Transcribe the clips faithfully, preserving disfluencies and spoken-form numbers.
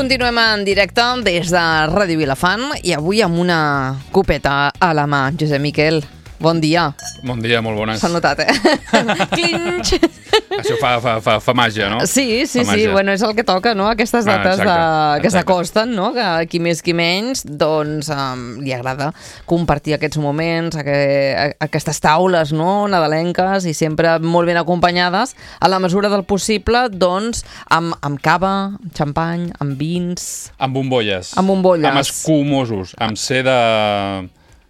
Continuem en directe des de Ràdio Vilafant i avui amb una copeta a la mà. Josep Miquel, bon dia. Bon dia, molt bones. S'ha notat, eh? Clinx! Això fa, fa, fa, fa màgia, no? Sí, sí, fa sí. Bueno, és el que toca, no? Aquestes dates ah, de... que s'acosten, no? Que qui més, qui menys, doncs um, li agrada compartir aquests moments, aqu aquestes taules, no? Nadalenques i sempre molt ben acompanyades, a la mesura del possible, doncs, amb, amb cava, amb xampany, amb vins... Amb bombolles. Amb bombolles. Amb escumosos, amb seda...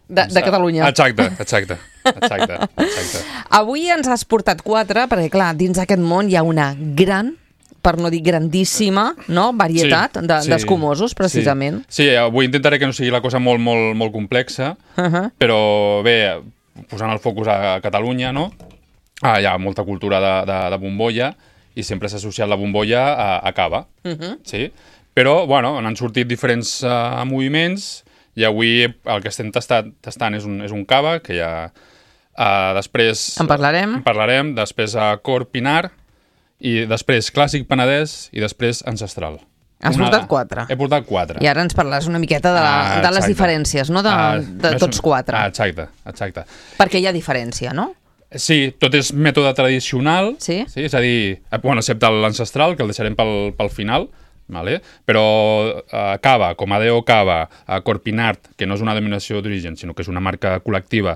De, de Catalunya. Exacte, exacte, exacte, exacte. Avui ens has portat quatre, perquè clar, dins d'aquest món hi ha una gran, per no dir grandíssima, no? varietat sí, d'escumosos, de, sí, precisament. Sí. sí, avui intentaré que no sigui la cosa molt, molt, molt complexa, uh -huh. però bé, posant el focus a Catalunya, no? Ah, hi ha molta cultura de, de, de bombolla i sempre s'ha associat la bombolla a, a cava, uh -huh. sí? Però, bueno, han sortit diferents uh, moviments. I avui el que estem tastant, tastant és, un, és un cava, que ja uh, després... En parlarem. En parlarem, després uh, Cor Pinar, i després Clàssic Penedès, i després Ancestral. Has una, portat quatre. He portat quatre. I ara ens parlaràs una miqueta de, la, ah, de les diferències, no? De, ah, de tots quatre. Ah, exacte, exacte. Perquè hi ha diferència, no? Sí, tot és mètode tradicional, sí? Sí, és a dir, bueno, excepte l'ancestral, que el deixarem pel, pel final. Vale? Però uh, Cava, com a D O Cava, uh, Corpinart, que no és una denominació d'origen, sinó que és una marca col·lectiva,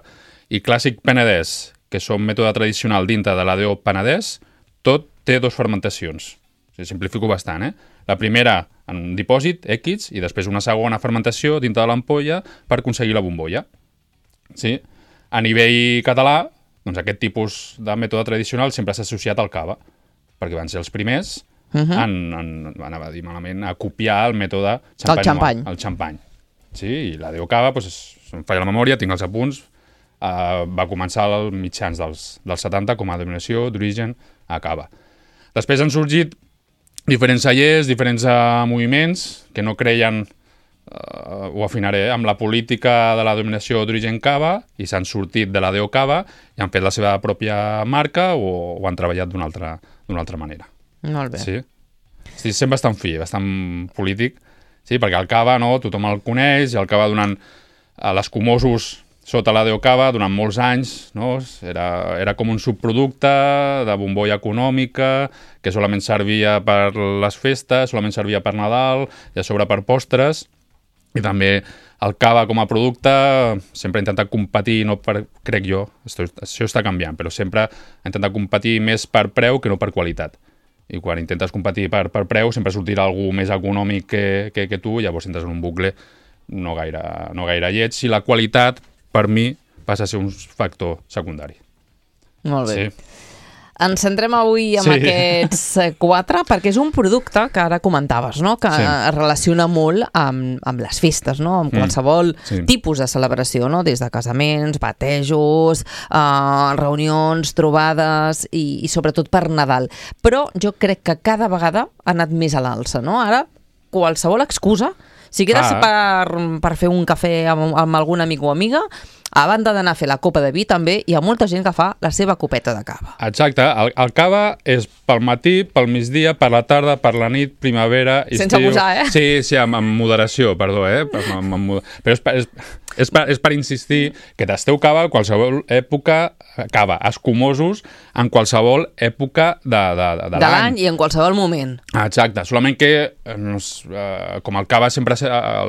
i Clàssic Penedès, que són mètode tradicional dintre de la D O Penedès, tot té dues fermentacions. O sigui, simplifico bastant, eh? La primera en un dipòsit, X, i després una segona fermentació dintre de l'ampolla per aconseguir la bombolla. Sí? A nivell català, doncs aquest tipus de mètode tradicional sempre s'ha associat al cava, perquè van ser els primers Uh -huh. en, en, anava a dir malament, a copiar el mètode xampany. El xampany. El xampany. Sí, i la D O Cava, doncs, em falla la memòria, tinc els apunts, uh, va començar als mitjans dels, dels setanta com a denominació d'origen a cava. Després han sorgit diferents cellers, diferents uh, moviments que no creien, uh, ho afinaré, eh, amb la política de la denominació d'origen cava i s'han sortit de la D O Cava i han fet la seva pròpia marca o, o han treballat d'una altra, d'una altra manera. Molt bé. Sí. Sí, sent bastant fi, bastant polític, sí, perquè el cava, no, tothom el coneix, i el cava donant a l'escumosos sota la D O Cava durant molts anys, no? Era, era com un subproducte de bombolla econòmica que solament servia per les festes, solament servia per Nadal i a sobre per postres, i també el cava com a producte sempre ha intentat competir, no per, crec jo, això, això està canviant, però sempre ha intentat competir més per preu que no per qualitat. I quan intentes competir per, per preu sempre sortirà algú més econòmic que, que, que tu, llavors entres en un bucle no gaire, no gaire lleig, i la qualitat, per mi, passa a ser un factor secundari. Molt bé. Sí. Ens centrem avui amb sí. aquests quatre, perquè és un producte que ara comentaves, no? Que sí. es relaciona molt amb, amb les festes, no? Amb qualsevol mm. sí. tipus de celebració, no? Des de casaments, batejos, eh, reunions, trobades i, i sobretot per Nadal. Però jo crec que cada vegada ha anat més a l'alça, no? Ara, qualsevol excusa, si quedes ah. per, per fer un cafè amb, amb algun amic o amiga, a banda d'anar a fer la copa de vi, també hi ha molta gent que fa la seva copeta de cava. Exacte. El, el cava és pel matí, pel migdia, per la tarda, per la nit, primavera, estiu... Sense abusar, eh? Sí, sí, amb, amb moderació, perdó, eh? Amb, amb, amb, però és, és, és, per, és per insistir que tasteu cava en qualsevol època, cava, escumosos, en qualsevol època de, de, de, de, de l'any i en qualsevol moment. Exacte. Solament que, eh, com el cava sempre,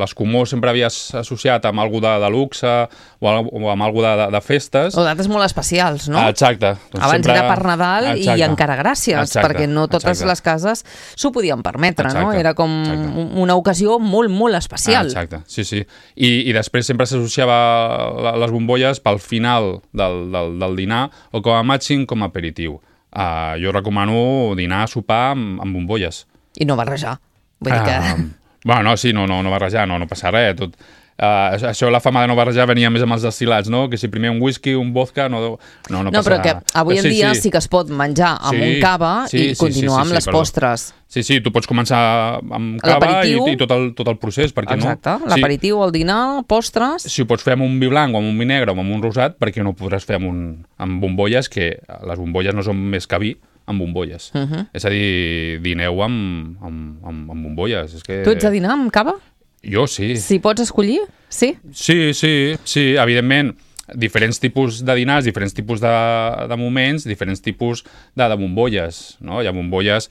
l'escumós sempre havia associat amb algú de, de luxe o o amb alguna de, de festes. O dates molt especials, no? Exacte. Doncs Abans sempre... era per Nadal exacte. I encara gràcies, exacte. Perquè no totes exacte. Les cases s'ho podien permetre, exacte. No? Era com exacte. Una ocasió molt, molt especial. Ah, exacte, sí, sí. I, i després sempre s'associava les bombolles pel final del, del, del dinar o com a màxim com a aperitiu. Uh, jo recomano dinar, sopar amb, amb bombolles. I no barrejar. Vull dir que... Uh, bueno, no, sí, no, no, no barrejar, no, no passa res, tot... Uh, això, la fama de no barrejar venia més amb els destil·lats, no? Que si primer un whisky, un vodka, no... No, no, no però que avui en sí, dia sí. sí que es pot menjar amb sí, un cava sí, i continuar sí, sí, sí, amb les sí, postres. Sí, sí, tu pots començar amb cava i, i tot, el, tot el procés, per què no? Exacte, l'aperitiu, el dinar, postres... Si ho pots fer amb un vi blanc o amb un vi negre o amb un rosat, per què no ho podràs fer amb, un, amb bombolles, que les bombolles no són més que vi, amb bombolles. Uh -huh. És a dir, dineu amb, amb, amb, amb bombolles. És que... Tu ets de dinar amb cava? Jo sí. Si pots escollir, sí? Sí, sí, sí, evidentment. Diferents tipus de dinars, diferents tipus de, de moments, diferents tipus de, de bombolles. No? Hi ha bombolles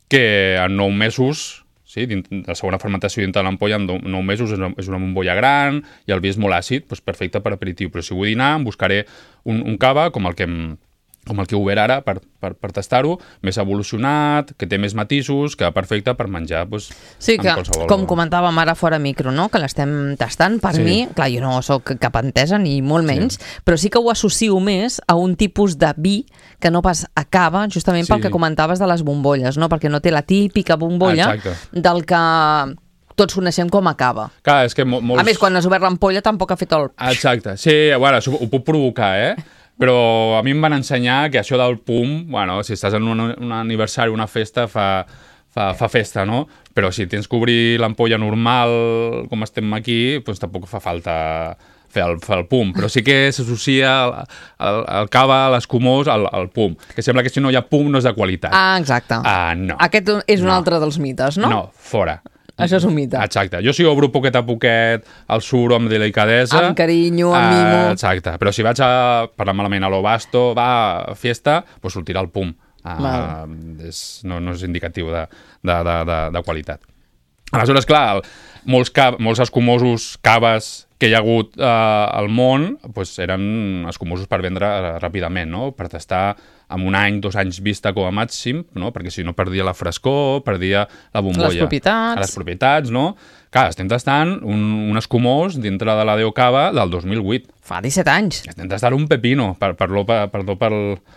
que en nou mesos, sí, de la segona fermentació dintre de l'ampolla, en nou mesos és una, és una bombolla gran i el vi és molt àcid, doncs perfecte per aperitiu. Però si vull dinar, em buscaré un, un cava com el que em, com el que he obert ara per, per, per tastar-ho, més evolucionat, que té més matisos, que va perfecte per menjar doncs, sí, que, com comentàvem ara fora micro, no? Que l'estem tastant, per sí. mi, clar, jo no sóc cap entesa ni molt menys, sí. però sí que ho associo més a un tipus de vi que no pas acaba, justament sí. pel que comentaves de les bombolles, no? Perquè no té la típica bombolla Exacte. del que tots coneixem com a cava. Clar, és que mo molts... A més, quan has obert l'ampolla tampoc ha fet el... Exacte, sí, bueno, això ho puc provocar, eh? Però a mi em van ensenyar que això del pum, bueno, si estàs en un, un aniversari, una festa, fa, fa, fa festa, no? Però si tens que obrir l'ampolla normal, com estem aquí, doncs tampoc fa falta fer el, fer el pum. Però sí que s'associa el, el, el cava, l'escumós, al, al pum. Que sembla que si no hi ha pum no és de qualitat. Ah, exacte. Ah, no. Aquest és un no. altre dels mites, no? No, fora. Això és un mite. Exacte. Jo si obro poquet a poquet, el suro amb delicadesa... Amb carinyo, amb mimo... Uh, exacte. Però si vaig a parlar malament a lo basto, va, fiesta, doncs sortirà el pum. Uh, és, no, no és indicatiu de, de, de, de, de qualitat. Aleshores, clar, el, molts, cav, molts escumosos, caves que hi ha hagut eh, al món doncs eren escumosos per vendre ràpidament, no? Per tastar amb un any, dos anys vista com a màxim, no? Perquè si no perdia la frescor, perdia la bombolla. Les propietats. Les propietats, no? Clar, estem tastant un, un escumós dintre de la Deo Cava del dos mil vuit. Fa disset anys. Estem tastant un pepino, per, per, per, perdó per,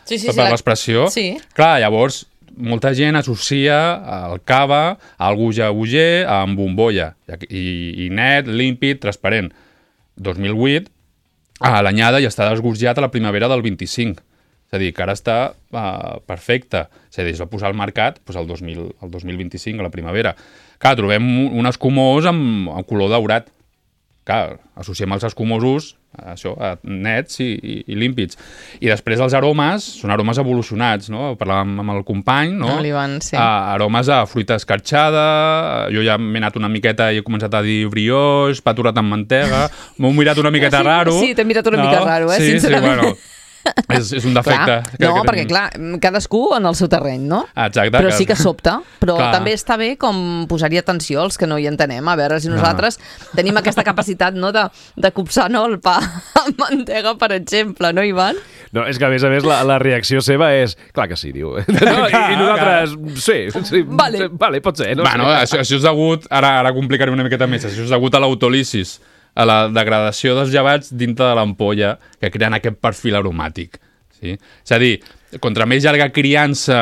sí, sí, per, sí, per la... l'expressió. Sí. Clar, llavors, molta gent associa el cava a algú jabuger amb bombolla, i, i net, límpid, transparent. dos mil vuit, a l'anyada ja està desgorjat a la primavera del vint-i-cinc. És a dir, que ara està uh, perfecte. És a dir, es va posar al mercat doncs, el, dos mil, el dos mil vint-i-cinc, a la primavera. Clar, trobem un escumós amb, amb color daurat. Clar, associem els escumosos això, nets i, i, i límpids. I després els aromes són aromes evolucionats, no? Parlàvem amb el company, no? No, l'Ivan, sí. Uh, aromes a fruita escarxada, jo ja m'he anat una miqueta i he començat a dir brioix, pa aturat amb mantega, m'ho mirat una miqueta sí, raro. Sí, t'he mirat una no? mica raro, eh, sí, sincerament. Sí, bueno... És, és un defecte. Clar, que, no, que perquè clar, cadascú en el seu terreny, no? Exacte. Però sí que sobta. Però clar. també està bé com posar-hi atenció als que no hi entenem. A veure si nosaltres no. tenim aquesta capacitat, no, de, de copsar, no, el pa amb mantega, per exemple, no, Ivan? No, és que a més a més la, la reacció seva és... Clar que sí, diu. No, i, I nosaltres... Sí, sí vale. vale, pot ser. No bueno, sé. això, això és degut... Ara, ara complicaré una miqueta més. Això és degut a l'autolisis, a la degradació dels llevats dintre de l'ampolla que creen aquest perfil aromàtic. Sí? És a dir, contra més llarga criança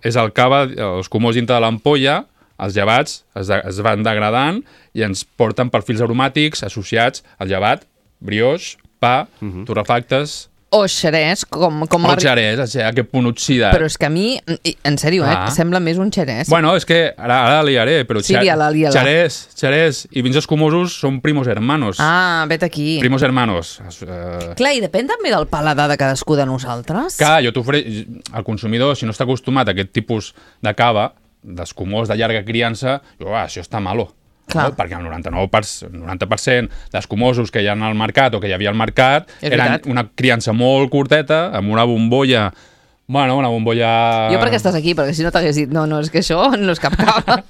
és el cava, els comós dintre de l'ampolla, els llevats es, de, es van degradant i ens porten perfils aromàtics associats al llevat, brioix, pa, uh-huh. torrefactes... O xerès, com... com o xerès, aquest punt oxidat. Però és que a mi, en sèrio, ah. eh, sembla més un xerès. Bueno, és que ara, ara liaré, però sí, liala, liala. xerès, xerès i vins escumosos són primos hermanos. Ah, vet aquí. Primos hermanos. Uh... Clar, i depèn també del paladar de cadascú de nosaltres. Clar, jo t'ofereix... El consumidor, si no està acostumat a aquest tipus de cava, d'escumós de llarga criança, jo, ah, això està malo. No? Perquè el noranta-nou per cent, noranta per cent d'escumosos que hi ha al mercat o que hi havia al mercat és eren veritat. Una criança molt curteta, amb una bombolla... Bueno, una bombolla... Jo perquè estàs aquí, perquè si no t'hagués dit no, no, és que això no és cap cava.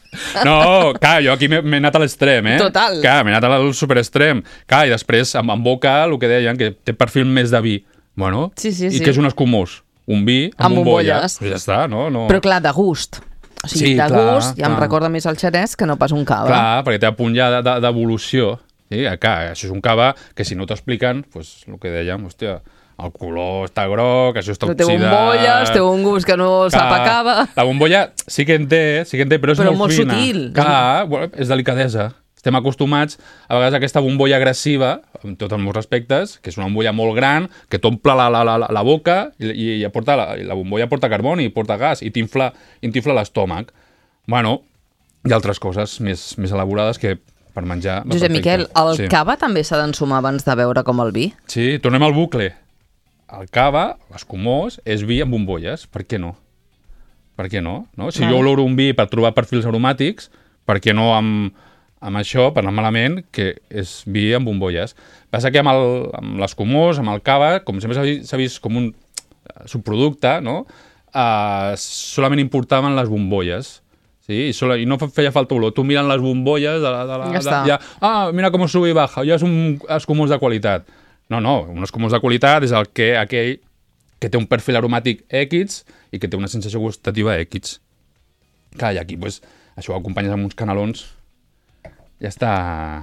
No, clar, jo aquí m'he anat a l'extrem, eh? Total. Clar, m'he anat al superextrem. Clar, i després, amb, amb boca, el que deien, que té perfil més de vi. Bueno, sí, sí, i sí. que és un escumós? Un vi amb, amb bombolla. bombolles. Pues ja està, no? no? Però clar, de gust. O sigui, sí, de clar, gust, ja clar. em recorda més el xerès que no pas un cava. Clar, perquè té a punt ja d'evolució. Sí? Clar, això és un cava que si no t'expliquen, pues, el que dèiem, hòstia, el color està groc, això està però oxidat... Té bombolles, té un gust que no sap a cava... La bombolla sí que en té, sí que en té, però és però molt, molt fina. sutil. Clar, bueno, és delicadesa. Estem acostumats a vegades a aquesta bombolla agressiva, amb tots els meus respectes, que és una bombolla molt gran, que t'omple la, la, la, la boca i, i, i aporta, la, la bombolla porta carboni, porta gas i t'infla l'estómac. Bueno, hi ha altres coses més, més elaborades que per menjar... Josep Miquel, el sí. cava també s'ha d'ensumar abans de beure com el vi? Sí, tornem al bucle. El cava, l'escumós, és vi amb bombolles. Per què no? per què no? no? Si jo oloro un vi per trobar perfils aromàtics, per què no amb, amb això, per anar malament, que és vi amb bombolles? Passa que amb, el, amb l'escumós, amb el cava, com sempre s'ha vist, vist com un subproducte, no? Uh, solament importaven les bombolles. Sí, i, solo, i no feia falta olor. Tu mirant les bombolles de la, de la, ja de, ja, ah, mira com sube i baja, ja és un escumós de qualitat. No, no, un escumós de qualitat és el que aquell que té un perfil aromàtic X i que té una sensació gustativa X. Clar, i aquí, pues, això ho acompanyes amb uns canelons, ja està,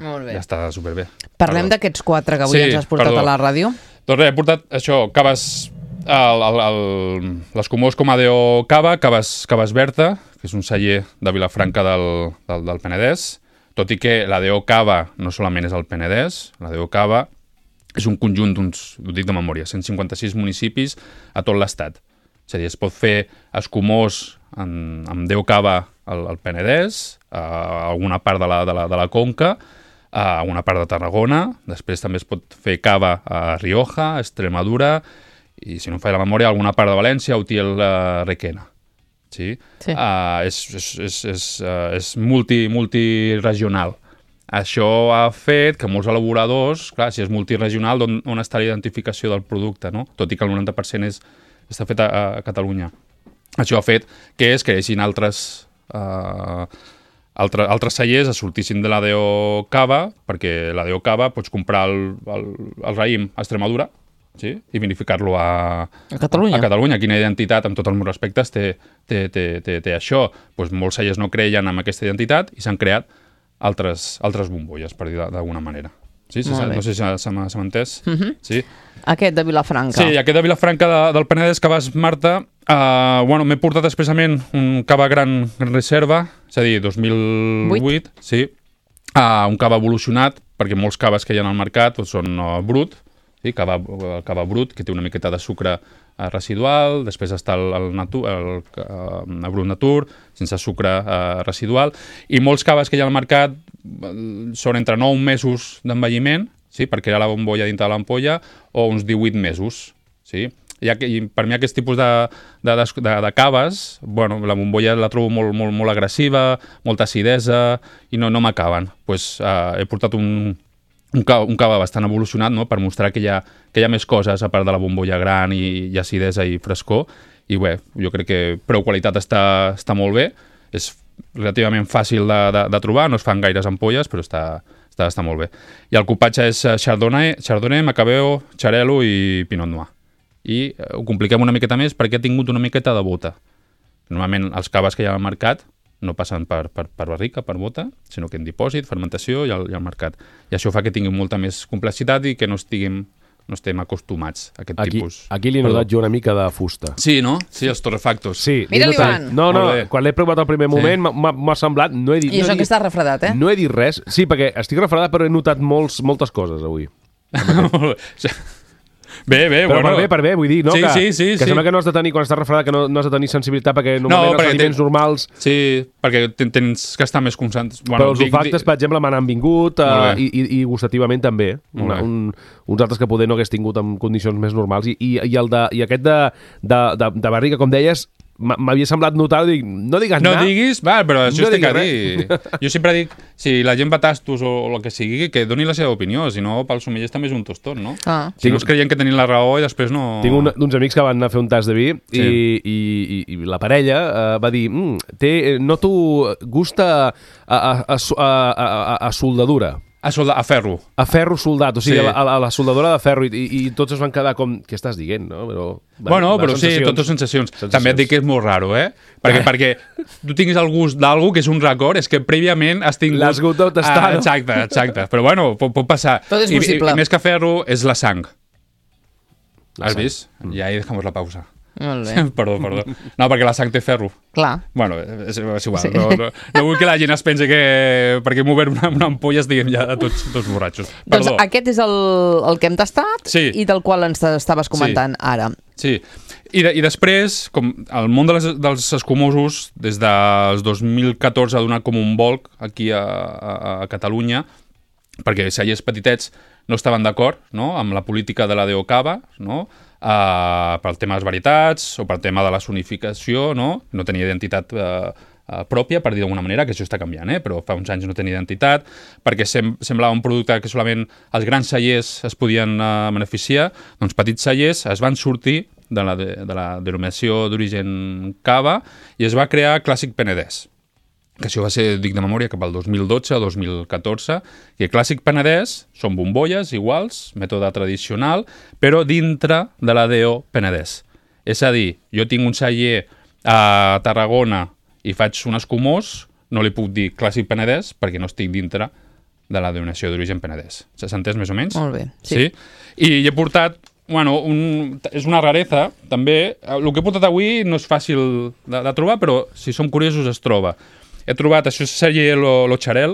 ja està superbé. Parlem d'aquests quatre que avui sí, ens has portat perdó. a la ràdio. Doncs res, he portat això, caves, l'escumós Comadeo Cava, caves, caves Berta, que és un celler de Vilafranca del, del, del Penedès, tot i que la D O Cava no solament és el Penedès, la D O Cava és un conjunt d'uns, ho dic de memòria, cent cinquanta-sis municipis a tot l'estat. És a dir, es pot fer escumós en, amb D O Cava al, al Penedès, a alguna part de la, de la, de la Conca, a una part de Tarragona, després també es pot fer cava a Rioja, a Extremadura, i si no em falla la memòria, alguna part de València, Utiel, uh, Requena. Sí? Sí. Uh, és és, és, és, uh, és multi, multiregional. Això ha fet que molts elaboradors, clar, si és multiregional, on, on està la identificació del producte, no? Tot i que el noranta per cent és, està fet a, a Catalunya. Això ha fet que es creïssin altres, uh, altre, altres cellers, es sortissin de la D O Cava, perquè la D O Cava pots comprar el, el, el raïm a Extremadura, sí? I vinificar-lo a, a Catalunya. A Catalunya. Quina identitat, amb tots els meus respectes, té, té, té, té, té això? Pues molts cellers no creien en aquesta identitat i s'han creat altres, altres bombolles, per dir d'alguna manera. Sí, sí, no sé si se m'ha entès. Uh -huh. Sí. Aquest de Vilafranca. Sí, aquest de Vilafranca de, del Penedès, Caves Marta, uh, bueno, m'he portat expressament un cava gran, gran reserva, és a dir, dos mil vuit, sí, uh, un cava evolucionat, perquè molts caves que hi ha al mercat doncs, són uh, brut, sí, cava, el cava brut, que té una miqueta de sucre uh, residual, després està el, el, natu, el, uh, el brut natur, sense sucre uh, residual, i molts caves que hi ha al mercat uh, són entre nou mesos d'envelliment, sí, per crear la bombolla dintre de l'ampolla, o uns divuit mesos, sí. I, i per mi aquest tipus de, de, de, de caves, bueno, la bombolla la trobo molt, molt, molt agressiva, molta acidesa, i no, no m'acaben. Pues, uh, he portat un... Un cava, un cava bastant evolucionat, no?, per mostrar que hi, ha, que hi ha més coses a part de la bombolla gran i, i acidesa i frescor. I bé, jo crec que preu-qualitat està, està molt bé. És relativament fàcil de, de, de trobar, no es fan gaires ampolles, però està, està, està molt bé. I el cupatge és Chardonnay, Chardonnay, Macabeo, Xarel·lo i Pinot Noir. I eh, ho compliquem una miqueta més perquè ha tingut una miqueta de bota. Normalment els caves que hi ha al mercat no passen per, per, per barrica, per bota, sinó que en dipòsit, fermentació i al, i al mercat. I això fa que tinguin molta més complexitat i que no estiguem, no estem acostumats a aquest aquí, tipus. Aquí li he notat jo una mica de fusta. Sí, no? Sí, els torrefactos. Sí. Mira l'Ivan! No, no, quan l'he provat al primer moment sí. m'ha semblat... No he dit, I no això he que dit, està refredat, eh? No he dit res. Sí, perquè estic refredat, però he notat molts, moltes coses avui. Bé, bé, però bueno. per bé, per bé, vull dir, no? Sí, que, sí, sí, que sí. sembla que no has de tenir, quan estàs refredat, que no, no has de tenir sensibilitat, perquè normalment no, perquè els aliments ten... normals... Sí, perquè tens que estar més concentrats. Bueno, però els dic, olfactes, dic... per exemple, m'han vingut uh, i, i, i gustativament també. Una, un, uns altres que poder no hagués tingut en condicions més normals. I, i, i, el de, i aquest de, de, de, de barriga, com deies, m'havia semblat notar, dic, no digues no anar. No diguis, va, però això no estic a dir. Jo sempre dic, si la gent va tastos o, o el que sigui, que doni la seva opinió, si no, pels sommeliers també és un tostot, no? Ah. Si no es creien que tenien la raó i després no... Tinc un, uns amics que van anar a fer un tas de vi sí. i, i, i, i la parella uh, va dir, mm, té, noto gust a, a, a, a, a, a soldadura. A, solda, a ferro. A ferro soldat, o sigui, sí. a, a la soldadura de ferro, i, i, i tots es van quedar com... Què estàs dient, no? Però, bueno, però sí, totes sensacions. sensacions. També et dic que és molt raro, eh? Perquè, eh. perquè tu tinguis el gust d'algú que és un record, és que prèviament has tingut... L'has hagut de tastar, ah, exacte, exacte. Però bueno, pot, pot passar. Tot és possible. I, i, i més que ferro, és la sang. La has sang. vist? Mm. I ahí dejamos la pausa. Molt bé. Perdó, perdó. No, perquè la sang té ferro. Clar. Bueno, és, és igual. Sí. No, no, no vull que la gent es pensi que perquè hem obert una, una ampolla estiguem ja tots, tots borratxos. Perdó. Doncs aquest és el, el que hem tastat sí. i del qual ens estaves comentant sí. ara. Sí. I, de, i després, com el món de les, dels escumosos, des del dos mil catorze ha donat com un volc aquí a, a, a Catalunya, perquè cellers petitets no estaven d'acord, no?, amb la política de la D O Cava, no?, uh, pel tema de les varietats o pel tema de la sonificació, no?, no tenia identitat uh, uh, pròpia, per dir d'alguna manera, que això està canviant, eh? Però fa uns anys no tenia identitat, perquè sem semblava un producte que solament els grans cellers es podien uh, beneficiar, doncs petits cellers es van sortir de la, de, de la denominació d'origen Cava i es va crear Clàssic Penedès, que això va ser, dic de memòria, cap al dos mil dotze o dos mil catorze, i el Clàssic Penedès són bombolles iguals, mètode tradicional, però dintre de la D O Penedès. És a dir, jo tinc un celler a Tarragona i faig un escumós, no li puc dir Clàssic Penedès perquè no estic dintre de la denominació d'origen Penedès. S'ha entès més o menys? Molt bé, sí. sí? I he portat, bueno, un, és una rareza, també. El que he portat avui no és fàcil de, de trobar, però si som curiosos es troba. He trobat, això és celler Lo, Lo Xarel,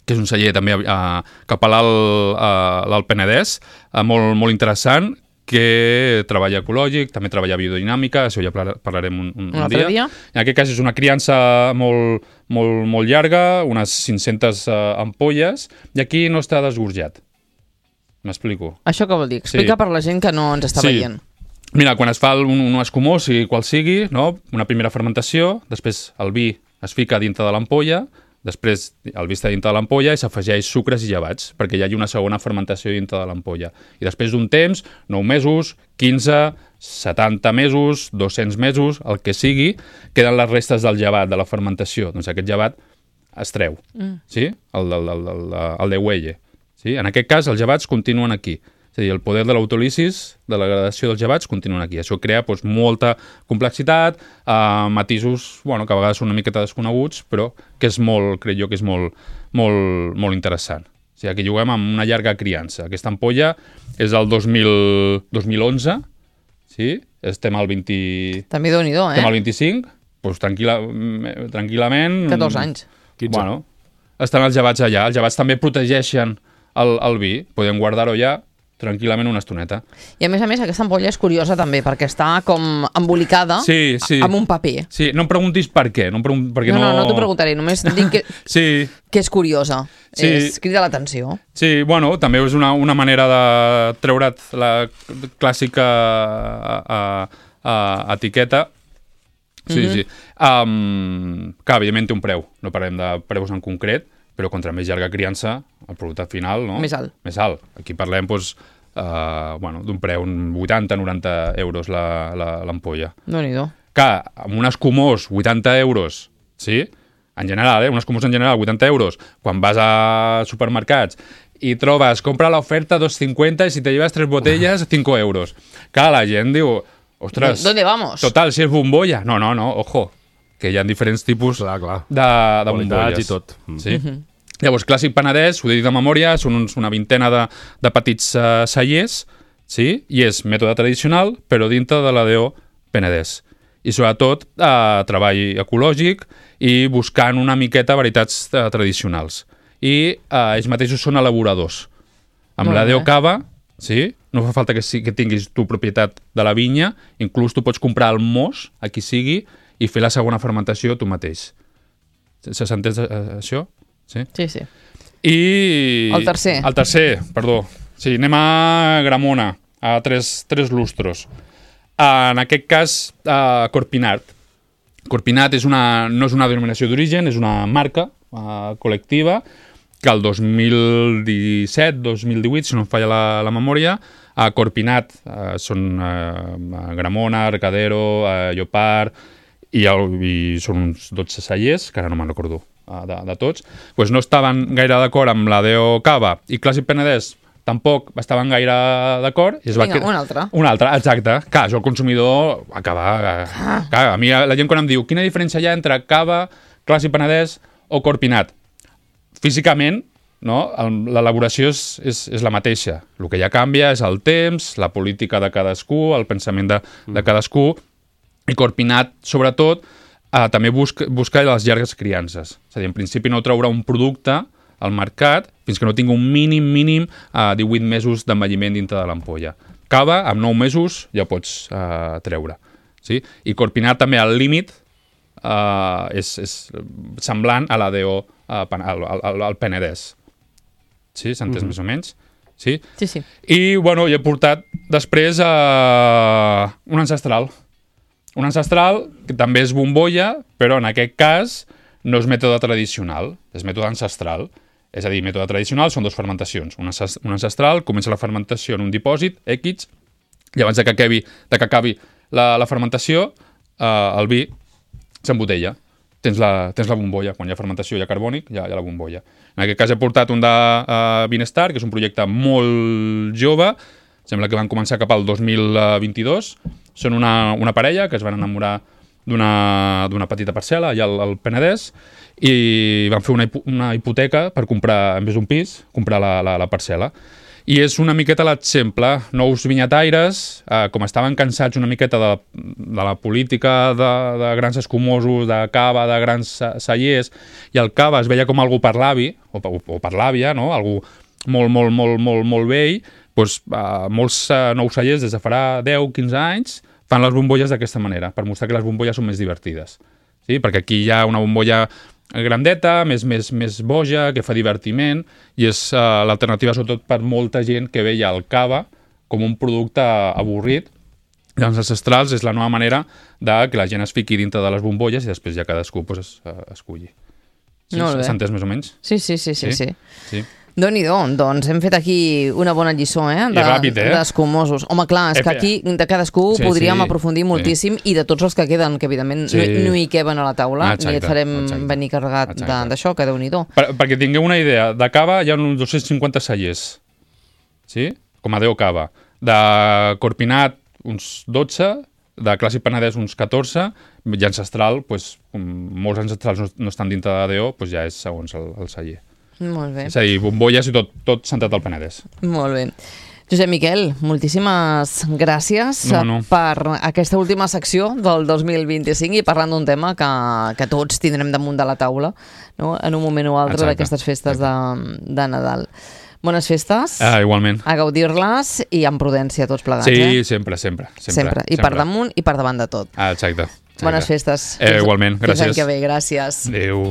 que és un celler també a, cap a l'Alt Penedès, a, molt, molt interessant, que treballa ecològic, també treballa biodinàmica, això ja parlarem un, un, un dia. dia. En aquest cas és una criança molt, molt, molt llarga, unes cinc-centes uh, ampolles, i aquí no està desgorjat. M'explico? Això què vol dir? Explica sí. per la gent que no ens està sí. veient. Mira, quan es fa un, un escumós, sigui qual sigui, no? Una primera fermentació, després el vi es fica dintre de l'ampolla, després el vi està dintre de l'ampolla i s'afegeix sucres i llevats, perquè hi hagi una segona fermentació dintre de l'ampolla. I després d'un temps, nou mesos, quinze, setanta mesos, dos-cents mesos, el que sigui, queden les restes del llevat, de la fermentació. Doncs aquest llevat es treu, mm. sí? El, el, el, el, el de huelle. Sí? En aquest cas, els llevats continuen aquí. És a dir, el poder de l'autolisis, de la gradació dels llevats, continuen aquí. Això crea doncs, molta complexitat, eh, matisos bueno, que a vegades són una miqueta desconeguts, però que és molt, crec jo, que és molt, molt, molt interessant. O sigui, aquí juguem amb una llarga criança. Aquesta ampolla és del dos mil, dos mil onze, sí? Estem al vint... També Déu-n'hi-do, eh? Estem al vint-i-cinc, doncs tranquil·la, tranquil·lament... catorze anys. quinze. Bueno, estan els llevats allà. Els llevats també protegeixen el, el vi. Podem guardar-ho allà tranquil·lament una estoneta. I a més a més aquesta ampolla és curiosa també, perquè està com embolicada sí, sí. amb un paper. Sí, no em preguntis per què. No, em pregun... perquè no, no, no, no t'ho preguntaré, només dic que, sí. que és curiosa. Sí. És, crida l'atenció. Sí, bueno, també és una, una manera de treure't la clàssica a, a, a etiqueta. Sí, mm-hmm. sí. Um, que, evidentment, té un preu. No parlem de preus en concret, però contra més llarga criança, el producte final, no? Més alt. Més alt. Aquí parlem, doncs, uh, bueno, d'un preu, un vuitanta noranta euros l'ampolla. Déu-n'hi-do. Que, amb un escumós, vuitanta euros, sí? En general, eh? Un escumós en general, vuitanta euros. Quan vas a supermercats i trobes, compra l'oferta dos cincuenta i si te llevas tres botellas, cinco euros. Que la gent diu, ostres... ¿Dónde vamos? Total, si és bombolla. No, no, no, ojo. Que hi ha diferents tipus clar, clar. de, de bombolles. I tot. Sí? Mm-hmm. Llavors, Clàssic Penedès, ho he dit de memòria, són uns, una vintena de, de petits uh, cellers, sí? I és mètode tradicional, però dintre de la D O Penedès. I sobretot uh, treball ecològic i buscant una miqueta varietats uh, tradicionals. I uh, ells mateixos són elaboradors. Amb Molt la D O Cava, sí? No fa falta que, que tinguis tu propietat de la vinya, inclús tu pots comprar el mos, a qui sigui, i fer la segona fermentació tu mateix. Se s'entén això? Sí? Sí, sí. I... El tercer. El tercer, perdó. Sí, anem a Gramona, a tres, tres lustros. En aquest cas, uh, Corpinat. Corpinat és una, no és una denominació d'origen, és una marca uh, col·lectiva que el dos mil disset dos mil divuit, si no em falla la, la memòria, a Corpinat uh, són uh, Gramona, Arcadero, uh, Llopart, i, el, i són uns dotze cellers, que ara no me'n recordo uh, de, de tots, pues no estaven gaire d'acord amb la D O Cava i Clàssic Penedès tampoc estaven gaire d'acord. I es Vinga, va... un altre. Un altre, exacte. Clar, això el consumidor acaba... Ah. Clar, a mi la gent quan em diu quina diferència hi ha entre Cava, Clàssic Penedès o Corpinat? Físicament, no? L'elaboració és, és, és la mateixa. El que ja canvia és el temps, la política de cadascú, el pensament de, de cadascú. I Corpinat, sobretot, eh, també busca, busca les llargues criances. És a dir, en principi no traurà un producte al mercat fins que no tingui un mínim, mínim, eh, divuit mesos d'envelliment dintre de l'ampolla. Cava, amb nou mesos, ja pots eh, treure. Sí? I Corpinat també, al límit, eh, és, és semblant a la D O, eh, al, al, al Penedès. Sí? S'ha entès mm-hmm. més o menys? Sí? Sí, sí. I, bueno, hi he portat després uh, un ancestral. Un ancestral que també és bombolla, però en aquest cas no és mètode tradicional, és mètode ancestral. És a dir, mètode tradicional són dues fermentacions. Un ancestral comença la fermentació en un dipòsit, X, i abans de que acabi, de que acabi la, la fermentació, uh, el vi s'embotella. Tens la, tens la bombolla. Quan hi ha fermentació hi ha carbònic, hi ha, hi ha la bombolla. En aquest cas he portat un de uh, Vinestar, que és un projecte molt jove, sembla que van començar cap al dos mil vint-i-dos. Són una, una parella que es van enamorar d'una petita parcel·la allà al, al Penedès i van fer una, una hipoteca per comprar, en vez d'un pis, comprar la, la, la parcel·la. I és una miqueta l'exemple. Nous vinyataires, eh, com estaven cansats una miqueta de, de la política de, de grans escumosos, de cava, de grans cellers, i el cava es veia com algú per l'avi, o, o, o per l'àvia, no? Algú molt, molt, molt, molt, molt vell, doncs, eh, molts eh, nous cellers des de farà deu quinze anys fan les bombolles d'aquesta manera, per mostrar que les bombolles són més divertides. Sí? Perquè aquí hi ha una bombolla grandeta, més, més, més boja, que fa divertiment, i és uh, l'alternativa sobretot per molta gent que veia el cava com un producte avorrit. I els ancestrals és la nova manera de que la gent es fiqui dintre de les bombolles i després ja cadascú pues, es, uh, esculli. Sí, s'ha entès més o menys? Sí, sí, sí. sí, sí. sí. Déu-n'hi-do, doncs hem fet aquí una bona lliçó, eh? De, I ràpid, eh? D'escumosos. Home, clar, és que aquí de cadascú sí, podríem sí, aprofundir moltíssim sí. I de tots els que queden, que evidentment sí. no, no hi queben a la taula, exacte, ni et farem exacte. venir carregat d'això, que Déu-n'hi-do. Per, perquè tingueu una idea, de cava hi ha uns dos-cents cinquanta cellers, sí? Com a deu cava. De Corpinat, uns dotze, de Clàssic Penedès, uns catorze, i ancestral, doncs, molts ancestrals no, no estan dintre de Déu, doncs ja és segons el, el celler. Molt bé. És a dir, bombolles i tot, tot centrat al Penedès. Molt bé. Josep Miquel, moltíssimes gràcies no, no. per aquesta última secció del dos mil vint-i-cinc i parlant d'un tema que, que tots tindrem damunt de la taula, no? En un moment o altre d'aquestes festes de, de Nadal. Bones festes. Ah, igualment. A gaudir-les i amb prudència tots plegats. Sí, eh? sempre, sempre, sempre. Sempre. I sempre. per damunt i per davant de tot. Ah, exacte. exacte. Bones festes. Eh, igualment, gràcies. Fins l'any que ve, gràcies. Adéu.